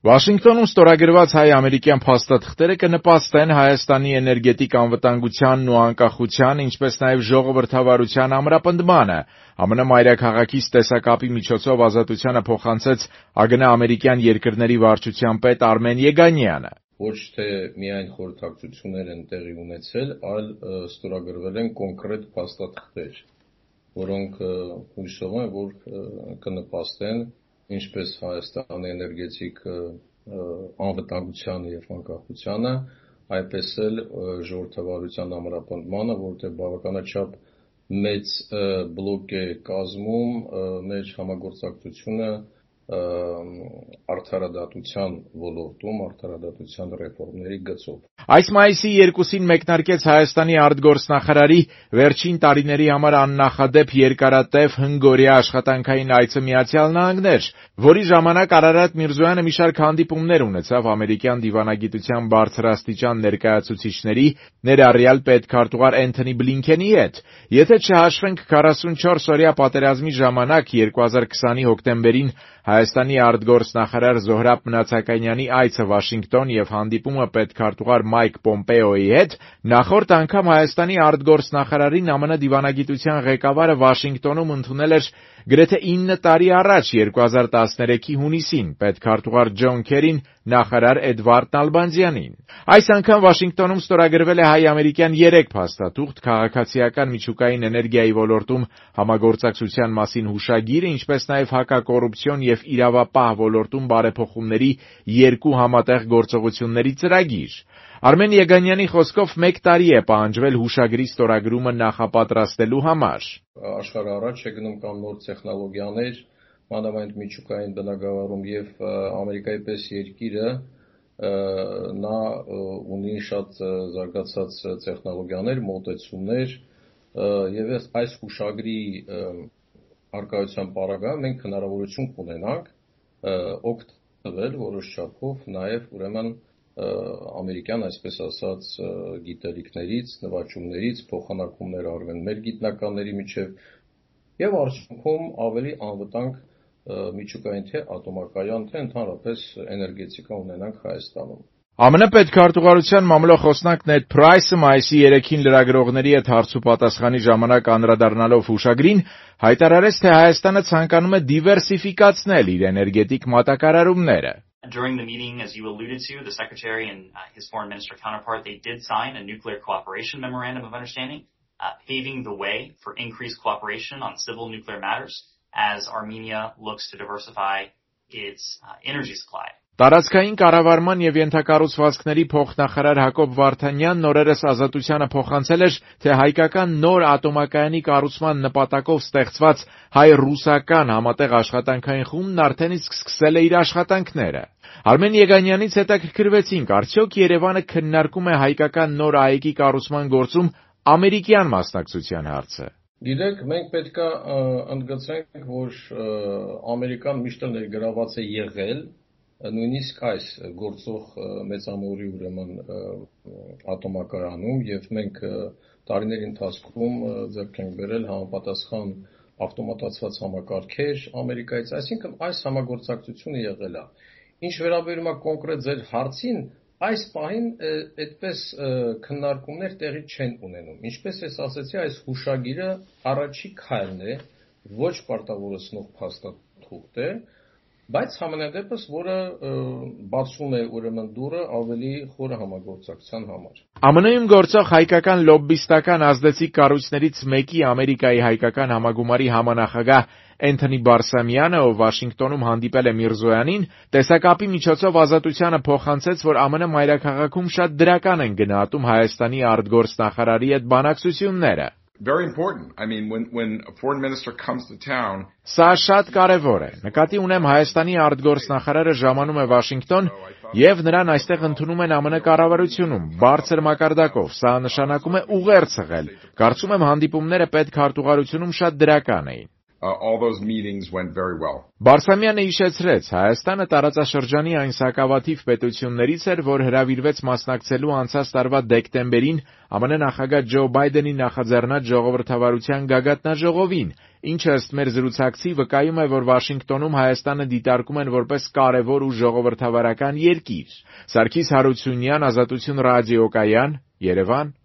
Վաշինգտոնում ստորագրված հայ-ամերիկյան փաստաթղթերը կնպաստեն Հայաստանի էներգետիկ անվտանգությանն ու անկախության, ինչպես նաև ժողովրդավարության ամրապնդմանը։ ԱՄՆ մայրաքաղաքից տեսակապի միջոցով Ազատությանը փոխանցեց ԱԳՆ ամերիկյան երկրների վարչության պետ Արմեն Եգանյանը։ Ոչ թե միայն խորհրդակցություններ են տեղի ունեցել, այլ ստորագրվել են կոնկրետ փաստաթղթեր, որոնք հույսով եմ, որ կնպաստեն ինչպես Հայաստանի էներգետիկ անվտանգությանը և անկախությանը, այդպես էլ ժողովրդավարության ամրապնդմանը, որովհետև բավականաչափ մեծ բլոկ է կազմում մեր համագործակցությունը արդարադատության ոլորտում, արդարադատության ռեֆորմների գծով։ Այս մայիսի 2-ին մեկնարկեց Հայաստանի արտգործնախարարի վերջին տարիների համար աննախադեպ երկարատև հնգօրյա աշխատանքային այցը Միացյալ Նահանգներ, որի ժամանակ Արարատ Միրզոյանը մի շարք հանդիպումներ ունեցավ ամերիկյան դիվանագիտության բարձրաստիճան ներկայացուցիչների, ներառյալ պետքարտուղար Էնթոնի Բլինքենի հետ։ Եթե չհաշվենք 44-օրյա պատերազմի ժամանակ 2020-ի հոկտեմբերին Հայաստանի արտգործնախարար Զոհրաբ Մնացականյանի այցը Վաշինգտոն եւ հանդիպումը պետքարտուղար Մայք Պոմպեոյի հետ, նախորդ անգամ Հայաստանի արտգործնախարարին ԱՄՆ դիվանագիտության ղեկավարը Վաշինգտոնում ընդունել էր գրեթե 9 տարի առաջ 2013-ի հունիսին, պետքարտուղար Ջոն Քերին նախարար Էդվարդ Նալբանդյանին։ Այս անգամ Վաշինգտոնում ստորագրվել է հայ-ամերիկյան 3 փաստաթուղթ, քաղաքացիական միջուկային էներգիայի ոլորտում համագործակցության մասին հուշագիրը, ինչպես նաև հակակոռուպցիոն եւ իրավապահ ոլորտում բարեփոխումների 2 համատեղ գործողությունների ծրագիր։ Արմեն Եգանյանի խոսքով 1 տարի է պահանջվել հուշագրի ստորագրումը նախապատրաստելու համար։ Աշխարհը առաջ է գնում կամ նոր տեխնոլոգիաներ, մանավանդ միջուկային բնագավառում եւ Ամերիկայի պես երկիրը նա ունի շատ զարգացած տեխնոլոգիաներ, մոտեցումներ եւ այս հուշագրի արկայության պարագայում մենք հնարավորություն կունենանք օգտվել որոշ չափով նաեւ ուրեմն ամերիկյան, այսպես ասած, գիտելիքներից, նվաճումներից, փոխանակումներ արվեն մեր գիտնականների միջև եւ արդյունքում ավելի անվտանգ միջուկային թե ատոմակայան, թե ընդհանրապես էներգետիկա ունենանք Հայաստանում։ ԱՄՆ պետքարտուղարության մամլոխոսնակ Նեդ Փրայսը մայիսի 3-ին լրագրողների հետ հարցուպատասխանի ժամանակ անդրադառնալով հուշագրին, հայտարարեց, թե Հայաստանը ցանկանում է դիվերսիֆիկացնել իր էներգետիկ մատակարարումները։ During the meeting, as you alluded to, the Secretary and his foreign minister counterpart, they did sign a nuclear cooperation memorandum of understanding, paving the way for increased cooperation on civil nuclear matters as Armenia looks to diversify its energy supply. Տարածքային կառավարման եւ ենթակառուցվածքների փոխնախարար Հակոբ Վարդանյանն օրերս Ազատությանը փոխանցել էր, թե հայկական նոր ատոմակայանի կառուցման նպատակով ստեղծված հայ-ռուսական համատեղ աշխատանքային խումբն արդեն իսկ սկսել է իր աշխատանքները։ Արմեն Եգանյանից հետաքրքրվեցինք, արդյոք Երևանը քննարկում է հայկական նոր ԱԵԿ-ի կառուցման գործում ամերիկյան մասնակցության հարցը։ Գիտեք, մենք պետք է ընդգծենք, որ Ամերիկան միշտ ներգրաված է եղել նույնիսկ այս գործող մեծամորի ուրեմն ատոմակայանում եւ մենք տարիների ընթացքում ձեռք ենք բերել համապատասխան ավտոմատացված համակարգեր Ամերիկայից, այսինքն այս համագործակցությունը եղել է։ Ինչ վերաբերում է կոնկրետ ձեր հարցին, այս պահին այդպես քննարկումներ տեղի չեն ունենում։ Ինչպես ես ասացի, այս հուշագիրը առաջի քայլն է, ոչ պարտավորեցնող փաստաթուղթ է, բայց համենայնդեպս, որը բացում է ուրեմն դուռը ավելի խորը համագործակցության համար։ ԱՄՆ-ում գործող հայկական լոբբիստական ազդեցիկ կառույցներից մեկի Ամերիկայի հայկական համագումարի համանախագահ Էնթոնի Բարսամյանը, ով Վաշինգտոնում հանդիպել է Միրզոյանին, տեսակապի միջոցով Ազատությանը փոխանցեց, որ ԱՄՆ մայրաքաղաքում շատ դրական են գնահատում Հայաստանի արտգործնախարարի հետ բանակցությունները։ Very important. I mean, when a foreign minister comes to town, Սա շատ կարևոր է։ Նկատի ունեմ Հայաստանի արտգործնախարարը ժամանում է Վաշինգտոն եւ նրան այստեղ ընդունում են ԱՄՆ կառավարությունում բարձր մակարդակով։ Սա նշանակում է ուղերձ եղել։ Կարծում եմ հանդիպումները պետքարտուղարությունում շատ դրական էին։ all those meetings went very well. Բարսամյանը հիշեցրեց, Հայաստանը տարածաշրջանի այն սակավաթիվ պետություններից էր, որ հրավիրվեց մասնակցելու անցած տարվա դեկտեմբերին ԱՄՆ նախագահ Ջո Բայդենի նախաձեռնած ժողովրդավարության գագաթնաժողովին, ինչը ըստ մեր զրուցակցի վկայում է, որ Վաշինգտոնում Հայաստանը դիտարկում են որպես կարևոր ու ժողովրդավարական երկիր։ Սարգիս Հարությունյան, Ազատություն ռադիոկայան, Երևան։